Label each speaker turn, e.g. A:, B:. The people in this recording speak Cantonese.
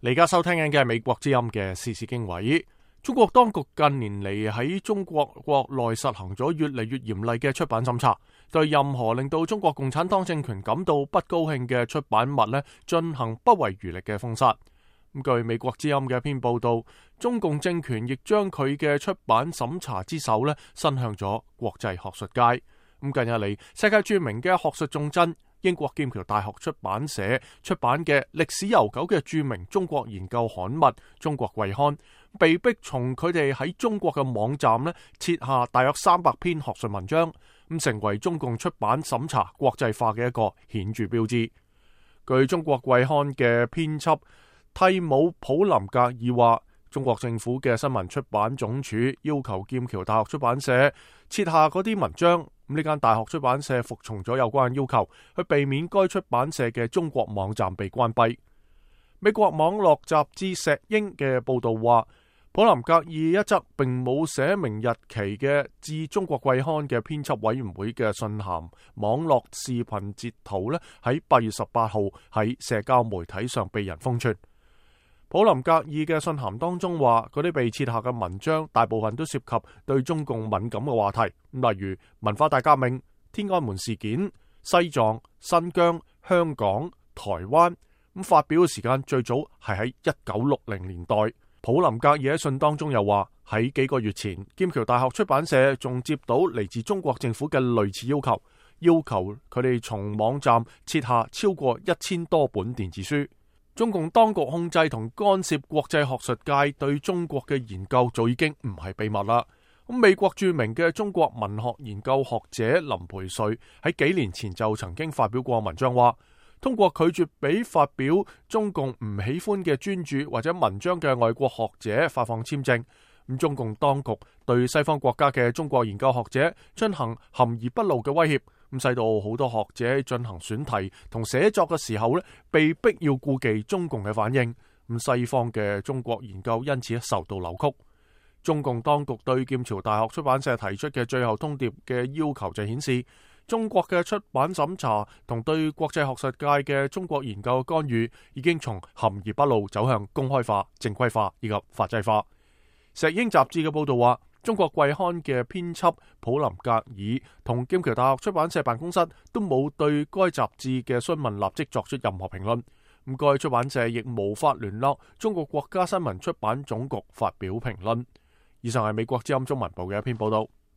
A: 你而家收聽緊嘅係美國之音嘅時事經緯。中國當局近年嚟喺中國國內實行咗越嚟越嚴厲嘅出版審查，對任何令到中國共產黨政權感到不高興嘅出版物進行不遺餘力嘅封殺。據美國之音嘅一篇報道，中共政權亦將佢嘅出版審查之手伸向咗國際學術界。近日嚟，世界著名嘅學術重鎮英國劍橋大學出版社出版嘅歷史悠久嘅著名中國研究刊物《中國季刊》，被迫從佢哋喺中國嘅網站撤下大約300篇學術文章，成為中共出版審查國際化嘅一個顯著標誌。據《中國季刊》嘅編輯蒂姆普林格爾話，中國政府嘅新聞出版總署要求劍橋大學出版社撤下嗰啲文章。呢間大學出版社服從咗有關要求，去避免該出版社嘅中國網站被關閉。美國網絡雜誌石英嘅報道話，普林格爾一則並冇寫明日期嘅致中國季刊嘅編輯委員會嘅信函網絡視頻截圖喺8月18號喺社交媒體上被人瘋傳。普林格爾嘅信函當中話，嗰啲被撤下嘅文章大部分都涉及對中共敏感嘅話題，例如文化大革命、天安門事件、西藏、新疆、香港、台灣。發表嘅時間最早係喺1960年代。普林格爾喺信當中又話，喺幾個月前，劍橋大學出版社仲接到嚟自中國政府嘅類似要求，要求佢哋從網站撤下超過1000多本電子書。中共當局控制同干涉國際學術界對中國嘅研究早已經唔係秘密啦。美國著名嘅中國文學研究學者林培瑞喺幾年前就曾經發表過文章話，通過拒絕俾發表中共唔喜歡嘅專著或者文章嘅外國學者發放簽證。中共當局對西方國家嘅中國研究學者進行含而不露嘅威脅，使到好多學者進行選題同寫作嘅時候被逼要顧忌中共嘅反應。西方嘅中國研究因此受到扭曲。中共當局對劍橋大學出版社提出嘅最後通牒嘅要求就顯示，中國嘅出版審查同對國際學術界嘅中國研究干預已經從含而不露走向公開化、正規化以及法制化。石英雜誌嘅報道話，中國季刊嘅編輯普林格爾同劍橋大學出版社辦公室都冇對該雜誌嘅詢問立即作出任何評論。該出版社亦無法聯絡中國國家新聞出版總局發表評論。以上係美國之音中文部嘅一篇報道。